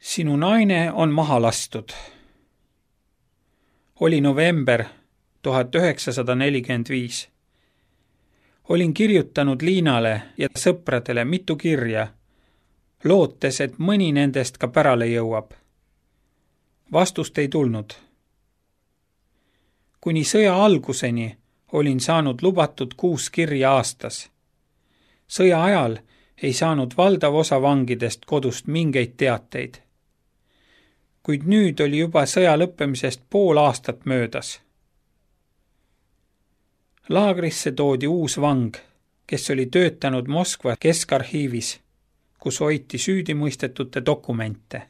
Sinu naine on maha lastud. Oli november 1945. Olin kirjutanud Liinale ja sõpradele mitu kirja, lootes, et mõni nendest ka pärale jõuab. Vastust ei tulnud. Kuni sõja alguseni olin saanud lubatud 6 kirja aastas. Sõja ajal ei saanud valdav osa vangidest kodust mingeid teateid. Kuid nüüd oli juba sõja lõppemisest pool aastat möödas. Laagrisse toodi uus vang, kes oli töötanud Moskva keskarhiivis, kus hoiti süüdimõistetute dokumente.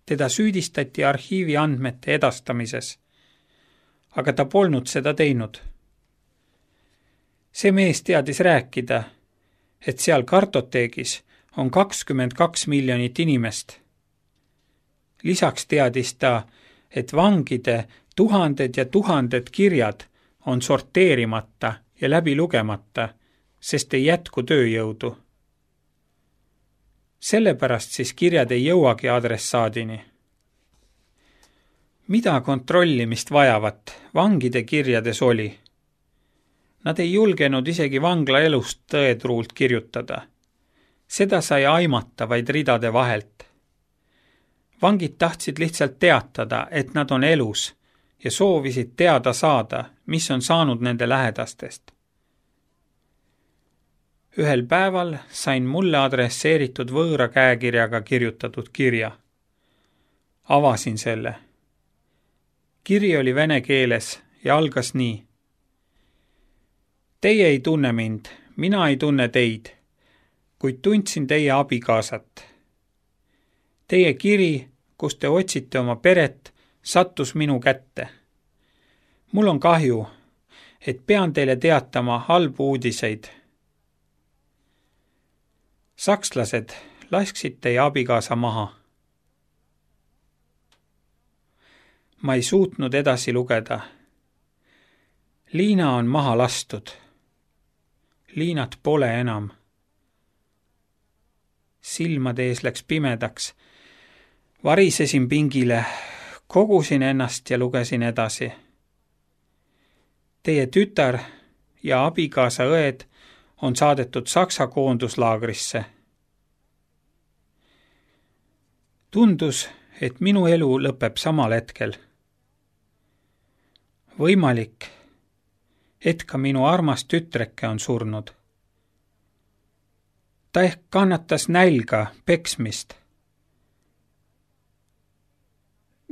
Teda süüdistati arhiivi andmete edastamises, aga ta polnud seda teinud. See mees teadis rääkida, et seal kartoteegis on 22 miljonit inimest. Lisaks teadis ta, et vangide tuhanded ja tuhanded kirjad on sorteerimata ja läbi lugemata, sest ei jätku tööjõudu. Sellepärast siis kirjad ei jõuagi adressaadini. Mida kontrollimist vajavat vangide kirjades oli? Nad ei julgenud isegi vangla elust tõetruult kirjutada. Seda sai aimata vaid ridade vahelt. Vangid tahtsid lihtsalt teatada, et nad on elus ja soovisid teada saada, mis on saanud nende lähedastest. Ühel päeval sain mulle adresseeritud võõra käekirjaga kirjutatud kirja. Avasin selle. Kiri oli vene keeles ja algas nii. Teie ei tunne mind, mina ei tunne teid, kuid tundsin teie abikaasat. Teie kiri, kus te otsite oma peret, sattus minu kätte. Mul on kahju, et pean teile teatama halbu uudiseid. Sakslased lasksid teie abikaasa maha. Ma ei suutnud edasi lugeda. Liina on maha lastud. Liinat pole enam. Silmade ees läks pimedaks. Varisesin pingile, kogusin ennast ja lugesin edasi. Teie tütar ja abikaasa õed on saadetud Saksa koonduslaagrisse. Tundus, et minu elu lõpeb samal hetkel. Võimalik, et ka minu armas tütreke on surnud. Ta ehk kannatas nälga, peksmist.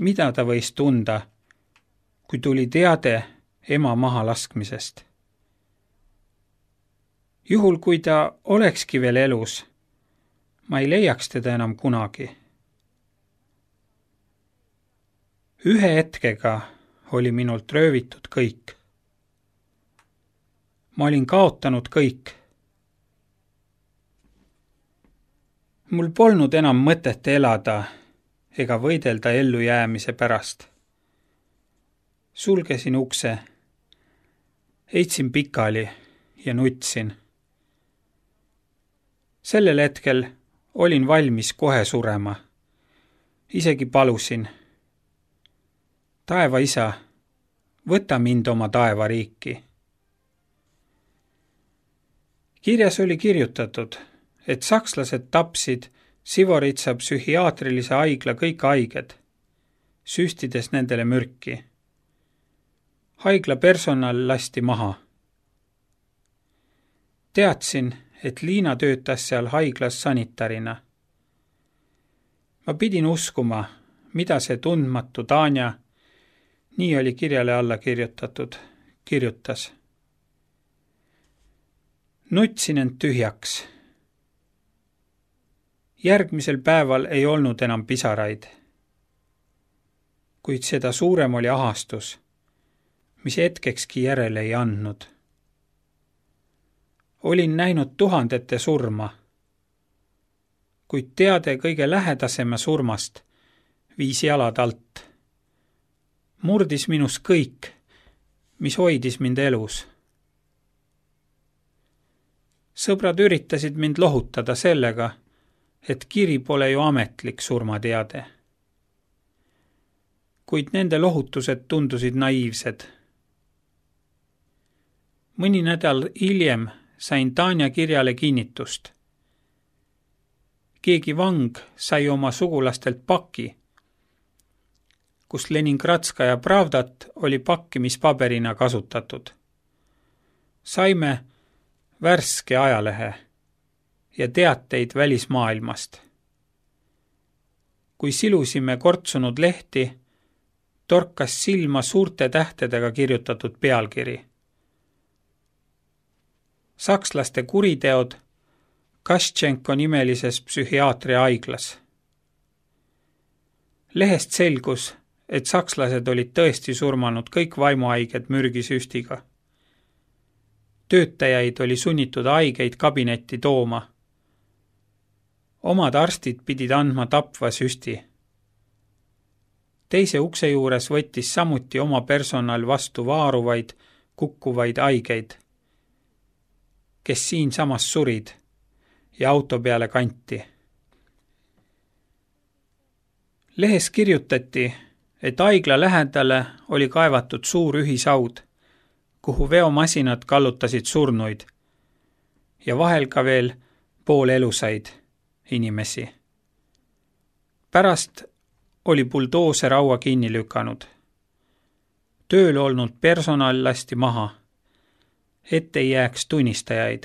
Mida ta võis tunda, kui tuli teade ema maha laskmisest? Juhul, kui ta olekski veel elus, ma ei leiaks teda enam kunagi. Ühe hetkega oli minult röövitud kõik. Ma olin kaotanud kõik. Mul polnud enam mõtet elada ega võidelda ellujäämise pärast. Sulgesin ukse, heitsin pikali ja nutsin. Sellel hetkel olin valmis kohe surema. Isegi palusin. Taeva isa, võta mind oma taevariiki. Kirjas oli kirjutatud, et sakslased tapsid Sivoritsa psühhiaatrilise haigla kõik haiged, süstides nendele mürki. Haigla personal lasti maha. Teadsin, et Liina töötas seal haiglas sanitarina. Ma pidin uskuma, mida see tundmatu Tanja, nii oli kirjale alla kirjutatud, kirjutas. Nutsin end tühjaks. Järgmisel päeval ei olnud enam pisaraid. Kuid seda suurem oli ahastus, mis hetkekski järele ei andnud. Olin näinud tuhandete surma, kuid teade kõige lähedasema surmast viis jalad alt. Murdis minus kõik, mis hoidis mind elus. Sõbrad üritasid mind lohutada sellega, et kiri pole ju ametlik surmateade. Kuid nende lohutused tundusid naiivsed. Mõni nädal hiljem sain Tanja kirjale kinnitust. Keegi vang sai oma sugulastelt paki, kus Leningradskaja Pravdat oli pakkimispaberina kasutatud. Saime värske ajalehe ja teateid välismaailmast. Kui silusime kortsunud lehti, torkas silma suurte tähtedega kirjutatud pealkiri. Sakslaste kuriteod Kaščenko nimelises psühhiaatria haiglas. Lehest selgus, et sakslased olid tõesti surmanud kõik vaimuhaiged mürgisüstiga. Töötajaid oli sunnitud haigeid kabinetti tooma. Omad arstid pidid andma tapva süsti. Teise ukse juures võttis samuti oma personal vastu vaaruvaid, kukkuvaid haigeid, kes siinsamas surid ja auto peale kanti. Lehes kirjutati, et haigla lähedale oli kaevatud suur ühisaud, kuhu veomasinad kallutasid surnuid ja vahel ka veel poolelusaid inimesi. Pärast oli buldooser haua kinni lükanud. Tööl olnud personal lasti maha, et ei jääks tunnistajaid.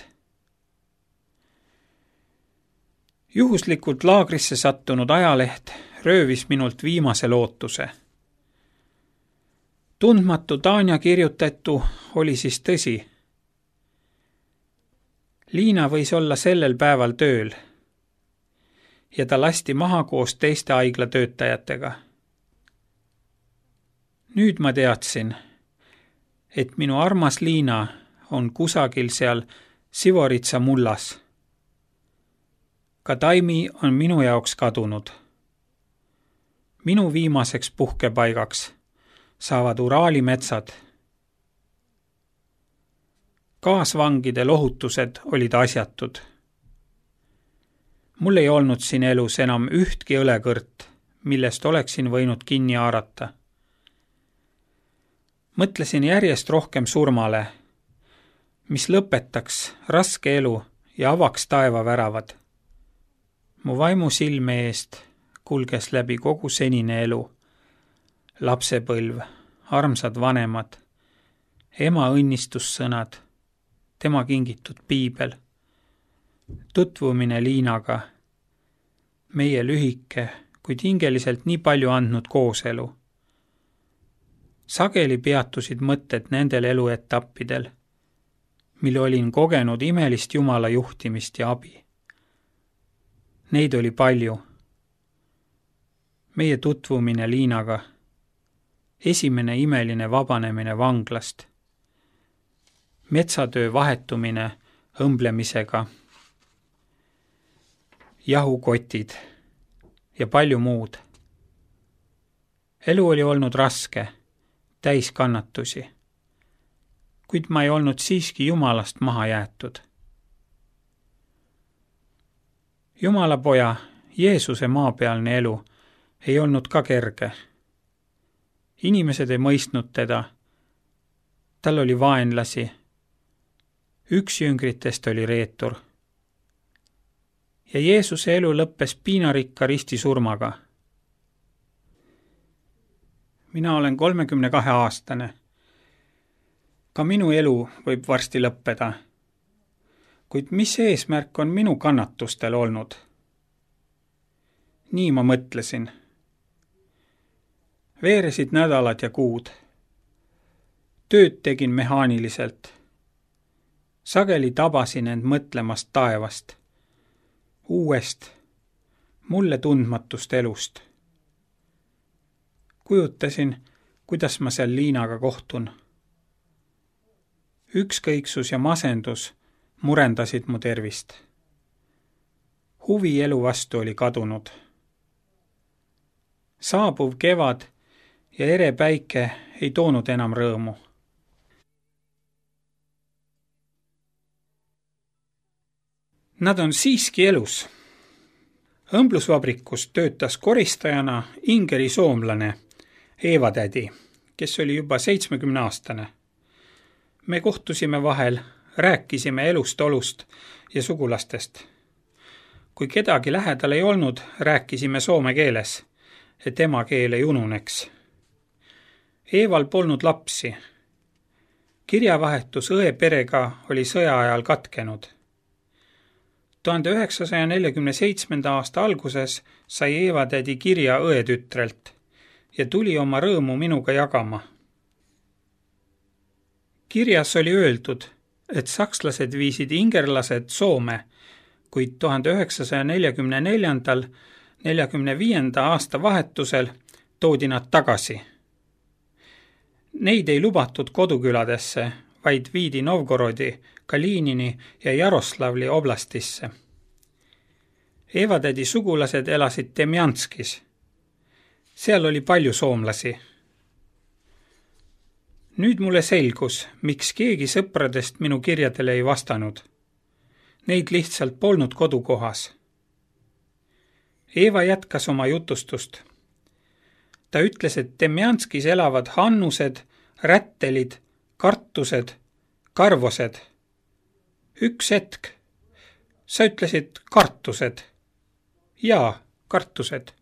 Juhuslikult laagrisse sattunud ajaleht röövis minult viimase lootuse. Tundmatu Tanja kirjutatu oli siis tõsi. Liina võis olla sellel päeval tööl ja ta lasti maha koos teiste haigla töötajatega. Nüüd ma teadsin, et minu armas Liina on kusagil seal Sivoritsa mullas. Ka Taimi on minu jaoks kadunud. Minu viimaseks puhkepaigaks saavad Uraali metsad. Kaasvangide lohutused olid asjatud. Mul ei olnud siin elus enam ühtki õlekõrt, millest oleksin võinud kinni haarata. Mõtlesin järjest rohkem surmale, mis lõpetaks raske elu ja avaks taevaväravad. Mu vaimu silme eest kulges läbi kogu senine elu. Lapsepõlv, armsad vanemad, ema õnnistussõnad, tema kingitud piibel, tutvumine Liinaga, meie lühike, kuid hingeliselt nii palju andnud kooselu. Sageli peatusid mõtted nendel eluetappidel, mil olin kogenud imelist Jumala juhtimist ja abi. Neid oli palju. Meie tutvumine Liinaga, esimene imeline vabanemine vanglast, metsatöö vahetumine õmblemisega, jahukotid ja palju muud. Elu oli olnud raske, täis kannatusi, kuid ma ei olnud siiski Jumalast maha jäetud. Jumala poja, Jeesuse maapealne elu ei olnud ka kerge. Inimesed ei mõistnud teda. Tal oli vaenlasi. Üks jüngritest oli reetur. Ja Jeesuse elu lõppes piinarikka ristisurmaga. Mina olen 32-aastane. Ka minu elu võib varsti lõppeda. Kuid mis eesmärk on minu kannatustel olnud? Nii ma mõtlesin. Veeresid nädalad ja kuud. Tööd tegin mehaaniliselt. Sageli tabasin end mõtlemast taevast, uuest, mulle tundmatust elust. Kujutasin, kuidas ma seal Liinaga kohtun. Ükskõiksus ja masendus murendasid mu tervist. Huvi elu vastu oli kadunud. Saabuv kevad ja ere päike ei toonud enam rõõmu. Nad on siiski elus. Õmblusvabrikus töötas koristajana Ingeri soomlane Eeva tädi, kes oli juba 70-aastane. Me kohtusime vahel, rääkisime elust, olust ja sugulastest. Kui kedagi lähedal ei olnud, rääkisime soome keeles, et emakeel ei ununeks. Eeval polnud lapsi. Kirjavahetus õe perega oli sõja ajal katkenud. 1947. aasta alguses sai Eeva tädi kirja õetütrelt ja tuli oma rõõmu minuga jagama. Kirjas oli öeldud, et sakslased viisid ingerlased Soome, kuid 1944. aasta vahetusel toodi nad tagasi. Neid ei lubatud koduküladesse, vaid viidi Novgorodi, Kalinini ja Jaroslavli oblastisse. Eeva tädi sugulased elasid Demjanskis. Seal oli palju soomlasi. Nüüd mulle selgus, miks keegi sõpradest minu kirjadele ei vastanud. Neid lihtsalt polnud kodukohas. Eeva jätkas oma jutustust. Ta ütles, et Demjanskis elavad hannused, rättelid, kartused, karvosed. Üks hetk. Sa ütlesid kartused. Jaa, kartused.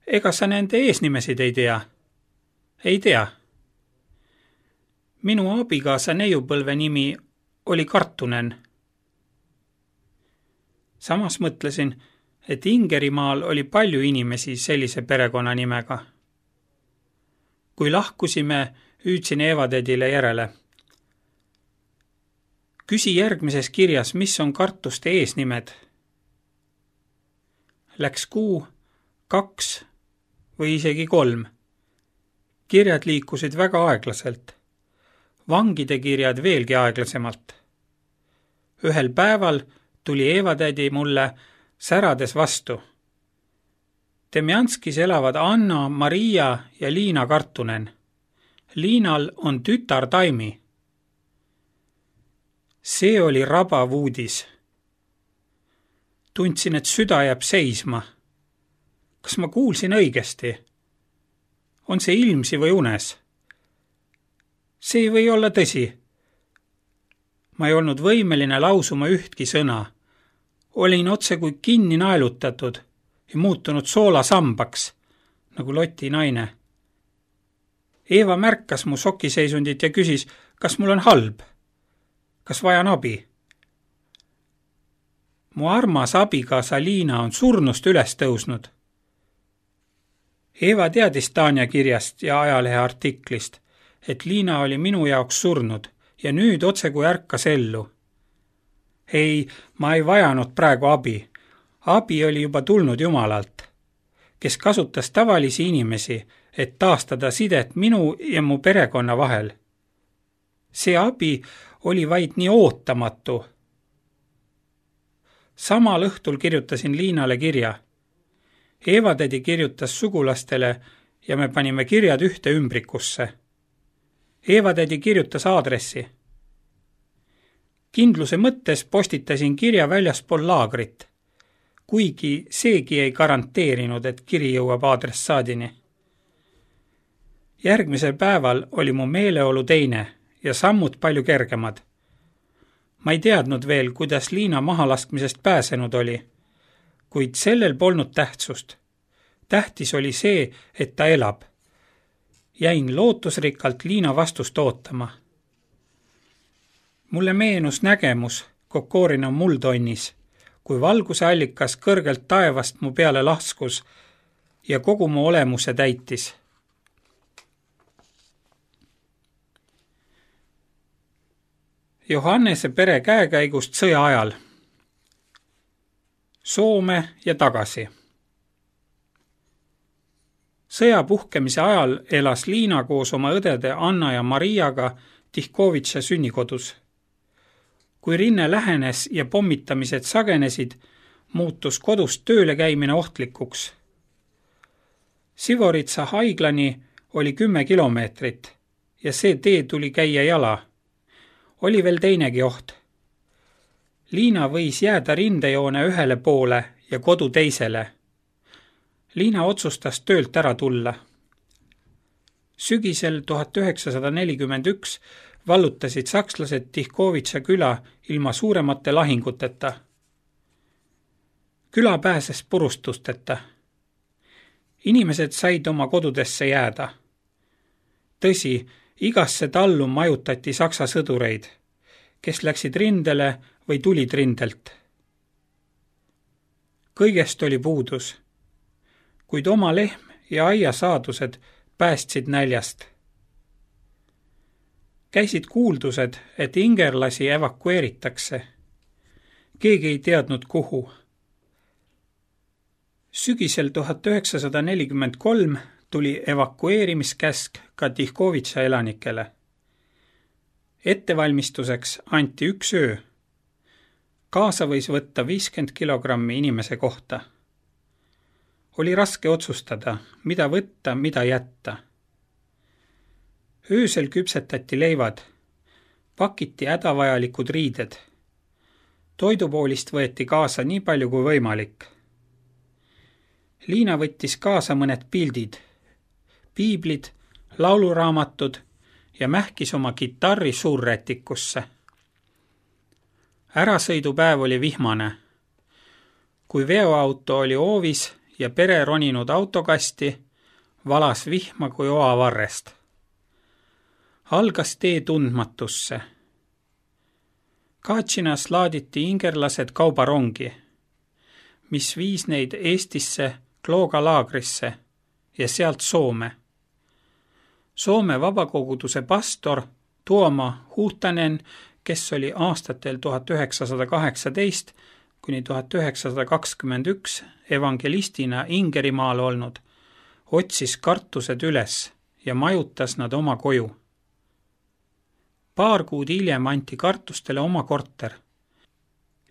Ega sa nende eesnimesid ei tea? Ei tea. Minu abigaasa neiupõlve nimi oli Kartunen. Samas mõtlesin, et Ingerimaal oli palju inimesi sellise perekonnanimega. Kui lahkusime, hüüdsin Eeva tädile järele. Küsi järgmises kirjas, mis on kartuste eesnimed. Läks 1, 2 või isegi 3. Kirjad liikusid väga aeglaselt. Vangide kirjad veelgi aeglasemalt. Ühel päeval tuli Eeva tädi mulle särades vastu. Demjanskis elavad Anna, Maria ja Liina Kartunen. Liinal on tütar Taimi. See oli rabav uudis. Tundsin, et süda jääb seisma. Kas ma kuulsin õigesti? On see ilmsi või unes? See ei või olla tõsi. Ma ei olnud võimeline lausuma ühtki sõna. Olin otse kui kinni naelutatud ja muutunud soolasambaks, nagu Loti naine. Eeva märkas mu sokiseisundit ja küsis, kas mul on halb? Kas vajan abi? Mu armas abigaasa Liina on surnust üles tõusnud. Eeva teadis Tanja kirjast ja ajalehe artiklist, et Liina oli minu jaoks surnud ja nüüd otse kui ärkas ellu. Ei, ma ei vajanud praegu abi. Abi oli juba tulnud Jumalalt, kes kasutas tavalisi inimesi, et taastada sidet minu ja mu perekonna vahel. See abi oli vaid nii ootamatu. Samal õhtul kirjutasin Liinale kirja. Eeva tädi kirjutas sugulastele ja me panime kirjad ühte ümbrikusse. Eeva tädi kirjutas aadressi. Kindluse mõttes postitasin kirja väljaspool laagrit, kuigi seegi ei garanteerinud, et kiri jõuab aadressaadini. Järgmisel päeval oli mu meeleolu teine ja sammud palju kergemad. Ma ei teadnud veel, kuidas Liina mahalaskmisest pääsenud oli, kuid sellel polnud tähtsust. Tähtis oli see, et ta elab. Jäin lootusrikkalt Liina vastust ootama. Mulle meenus nägemus Kokorina muldonnis, kui valguse allikas kõrgelt taevast mu peale laskus ja kogu mu olemuse täitis. Johannese pere käekäigust sõja ajal. Soome ja tagasi. Sõja puhkemise ajal elas Liina koos oma õdede Anna ja Mariaga Tihkovitša sünnikodus. Kui rinne lähenes ja pommitamised sagenesid, muutus kodust tööle käimine ohtlikuks. Sivoritsa haiglani oli 10 kilomeetrit ja see tee tuli käia jala. Oli veel teinegi oht. Liina võis jääda rindejoone ühele poole ja kodu teisele. Liina otsustas töölt ära tulla. Sügisel 1941 vallutasid sakslased Tihkovitša küla ilma suuremate lahinguteta. Küla pääses purustusteta. Inimesed said oma kodudesse jääda. Tõsi, igasse tallu majutati saksa sõdureid, kes läksid rindele või tulid rindelt. Kõigest oli puudus, kuid oma lehm ja aiasaadused päästsid näljast. Käisid kuuldused, et ingerlasi evakueeritakse. Keegi ei teadnud kuhu. Sügisel 1943 tuli evakueerimiskäsk ka Tihkovitša elanikele. Ettevalmistuseks anti 1 öö. Kaasa võis võtta 50 kilogrammi inimese kohta. Oli raske otsustada, mida võtta, mida jätta. Öösel küpsetati leivad, pakiti hädavajalikud riided. Toidupoolist võeti kaasa nii palju kui võimalik. Liina võttis kaasa mõned pildid, piiblid, lauluraamatud ja mähkis oma kitarri suurrätikusse. Ärasõidupäev oli vihmane. Kui veoauto oli hoovis ja pere roninud autokasti, valas vihma kui oavarrest. Algas tee tundmatusse. Katšinas laaditi ingerlased kaubarongi, mis viis neid Eestisse Klooga laagrisse ja sealt Soome. Soome vabakoguduse pastor Tuomo Huhtanen, kes oli aastatel 1918 kuni 1921 evangelistina Ingerimaal olnud, otsis kartused üles ja majutas nad oma koju. Paar kuud hiljem anti kartustele oma korter.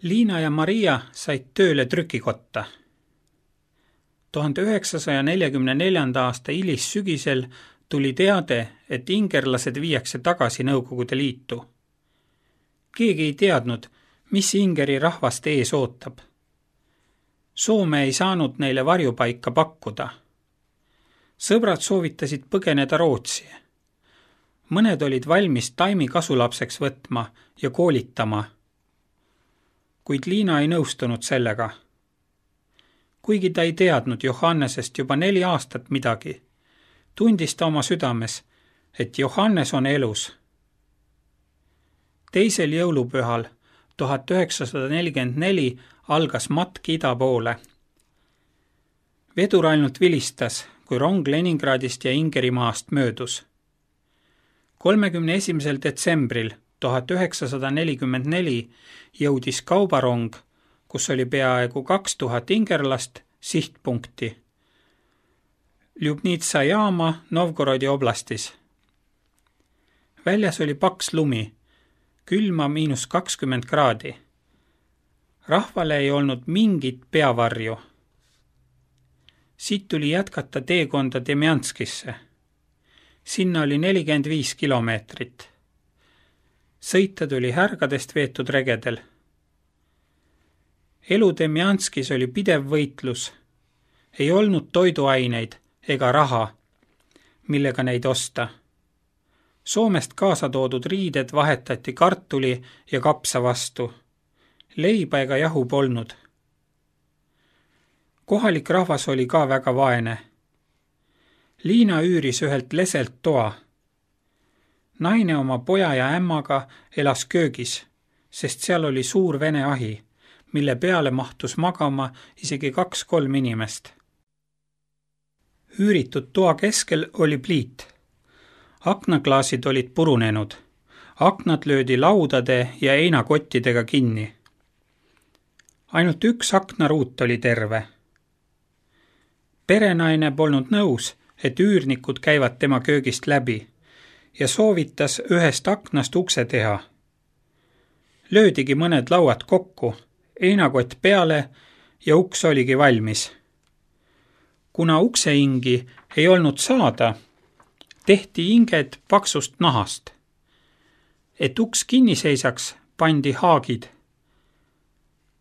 Liina ja Maria said tööle trükikotta. 1944. aasta hilissügisel tuli teade, et ingerlased viiakse tagasi Nõukogude Liitu. Keegi ei teadnud, mis Ingeri rahvast ees ootab. Soome ei saanud neile varjupaika pakkuda. Sõbrad soovitasid põgeneda Rootsi. Mõned olid valmis Taimi kasulapseks võtma ja koolitama. Kuid Liina ei nõustunud sellega. Kuigi ta ei teadnud Johannesest juba 4 aastat midagi, tundis ta oma südames, et Johannes on elus. 2. jõulupühal 1944 algas matk ida poole. Vedur ainult vilistas, kui rong Leningradist ja Ingerimaast möödus. 31. detsembril 1944 jõudis kaubarong, kus oli peaaegu 2000 ingerlast, sihtpunkti. Ljubnitsa jaama Novgorodi oblastis. Väljas oli paks lumi, külma -20 kraadi. Rahvale ei olnud mingit peavarju. Siit tuli jätkata teekonda Demjanskisse. Sinna oli 45 kilomeetrit. Sõita tuli härgadest veetud regedel. Elu Demjanskis oli pidev võitlus. Ei olnud toiduaineid ega raha, millega neid osta. Soomest kaasa toodud riided vahetati kartuli ja kapsa vastu. Leiba ega jahu polnud. Kohalik rahvas oli ka väga vaene. Liina üüris ühelt leselt toa. Naine oma poja ja ämmaga elas köögis, sest seal oli suur vene ahi, mille peale mahtus magama isegi 2-3 inimest. Üüritud toa keskel oli pliit. Aknaklaasid olid purunenud. Aknad löödi laudade ja heinakottidega kinni. Ainult 1 aknaruut oli terve. Perenaine polnud nõus, et üürnikud käivad tema köögist läbi ja soovitas ühest aknast ukse teha. Löödigi mõned lauad kokku, heinakott peale ja uks oligi valmis. Kuna uksehingi ei olnud saada, tehti hinged paksust nahast. Et uks kinni seisaks, pandi haagid.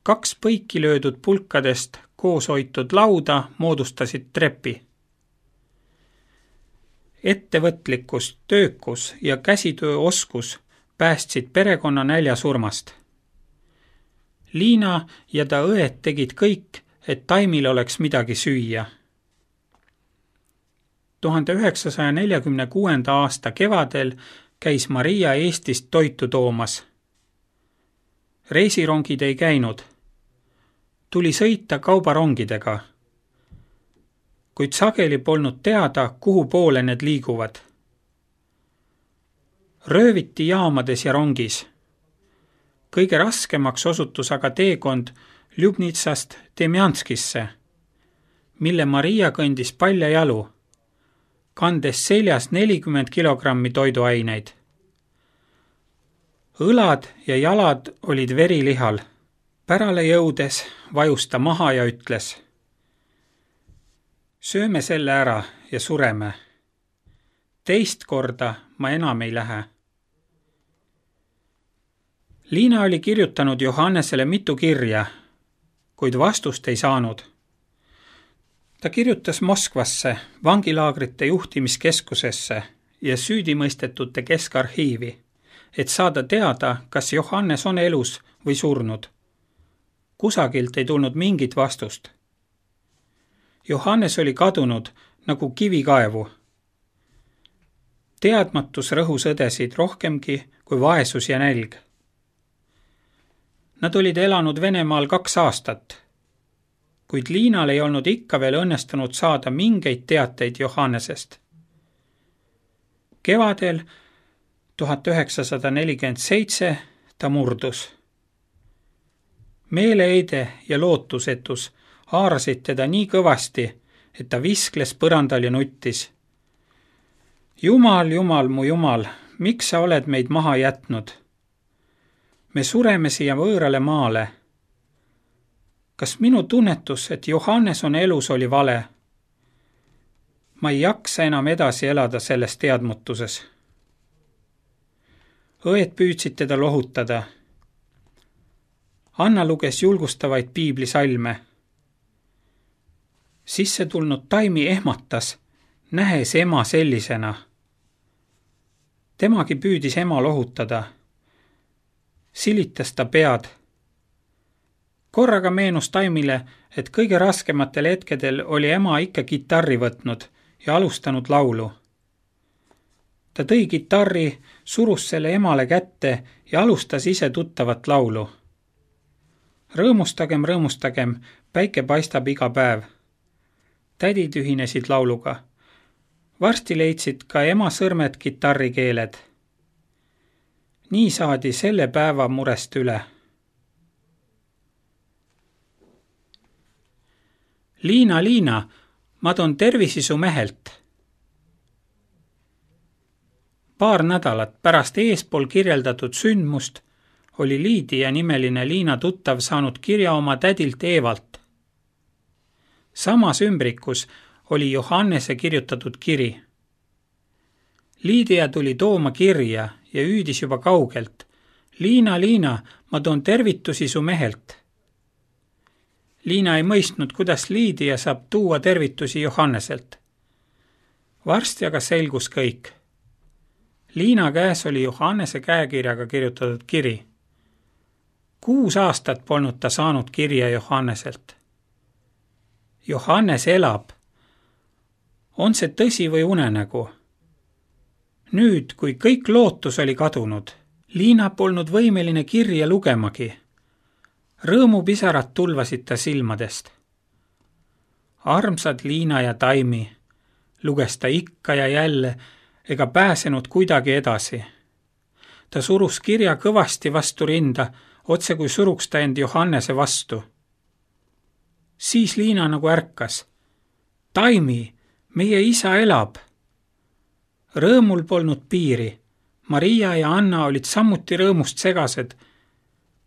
2 põiki löödud pulkadest koos hoitud lauda moodustasid trepi. Ettevõtlikkus, töökus ja käsitööoskus päästsid perekonna näljasurmast. Liina ja ta õed tegid kõik, et Taimil oleks midagi süüa. 1946. aasta kevadel käis Maria Eestist toitu toomas. Reisirongid ei käinud. Tuli sõita kaubarongidega. Kuid sageli polnud teada, kuhu poole need liiguvad. Rööviti jaamades ja rongis. Kõige raskemaks osutus aga teekond Ljubnitsast Demjanskisse, mille Maria kõndis paljajalu, kandes seljas 40 kilogrammi toiduaineid. Õlad ja jalad olid verilihal. Pärale jõudes vajus ta maha ja ütles: sööme selle ära ja sureme. Teist korda ma enam ei lähe. Liina oli kirjutanud Johannesele mitu kirja, kuid vastust ei saanud. Ta kirjutas Moskvasse, vangilaagrite juhtimiskeskusesse ja süüdimõistetute keskarhiivi, et saada teada, kas Johannes on elus või surnud. Kusagilt ei tulnud mingit vastust. Johannes oli kadunud nagu kivikaevu. Teadmatus rõhus õdesid rohkemgi kui vaesus ja nälg. Nad olid elanud Venemaal 2 aastat, kuid Liinal ei olnud ikka veel õnnestunud saada mingeid teateid Johannesest. Kevadel 1947 ta murdus. Meeleheide ja lootusetus haarasid teda nii kõvasti, et ta viskles põrandal ja nuttis. Jumal, Jumal, mu Jumal, miks sa oled meid maha jätnud? Me sureme siia võõrale maale. Kas minu tunnetus, et Johannes on elus, oli vale? Ma ei jaksa enam edasi elada selles teadmutuses. Õed püüdsid teda lohutada. Anna luges julgustavaid piiblisalme. Sisse tulnud Taimi ehmatas, nähes ema sellisena. Temagi püüdis ema lohutada. Silitas ta pead. Korraga meenus Taimile, et kõige raskematel hetkedel oli ema ikka kitarri võtnud ja alustanud laulu. Ta tõi kitarri, surus selle emale kätte ja alustas ise tuttavat laulu. Rõõmustagem, rõõmustagem, päike paistab iga päev. Tädid ühinesid lauluga. Varsti leidsid ka ema sõrmed kitarrikeeled. Nii saadi selle päeva murest üle. Liina, Liina, ma toon tervisi su mehelt. Paar nädalat pärast eespool kirjeldatud sündmust oli Liidia nimeline Liina tuttav saanud kirja oma tädilt Eevalt. Samas ümbrikus oli Johannese kirjutatud kiri. Liidia tuli tooma kirja ja hüüdis juba kaugelt. Liina, Liina, ma toon tervitusi su mehelt. Liina ei mõistnud, kuidas Liidia saab tuua tervitusi Johanneselt. Varsti aga selgus kõik. Liina käes oli Johannese käekirjaga kirjutatud kiri. 6 aastat polnud ta saanud kirja Johanneselt. Johannes elab. On see tõsi või unenägu? Nüüd, kui kõik lootus oli kadunud, Liina polnud võimeline kirja lugemagi. Rõõmupisarad tulvasid ta silmadest. Armsad Liina ja Taimi, luges ta ikka ja jälle, ega pääsenud kuidagi edasi. Ta surus kirja kõvasti vastu rinda, otse kui suruks ta end Johannese vastu. Siis Liina nagu ärkas. Taimi, meie isa elab. Rõõmul polnud piiri. Maria ja Anna olid samuti rõõmust segased.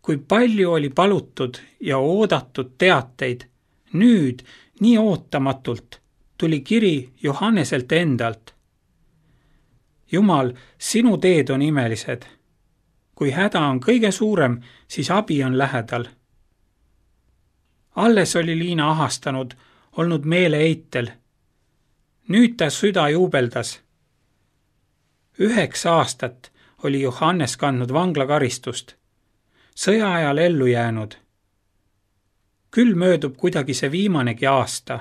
Kui palju oli palutud ja oodatud teateid, nüüd nii ootamatult tuli kiri Johanneselt endalt. Jumal, sinu teed on imelised. Kui häda on kõige suurem, siis abi on lähedal. Alles oli Liina ahastanud, olnud meeleeitel. Nüüd ta süda juubeldas. 9 aastat oli Johannes kandnud vanglakaristust. Sõja ajal ellu jäänud. Küll möödub kuidagi see viimanegi aasta.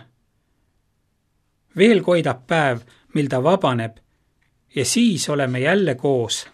Veel koidab päev, mil ta vabaneb ja siis oleme jälle koos.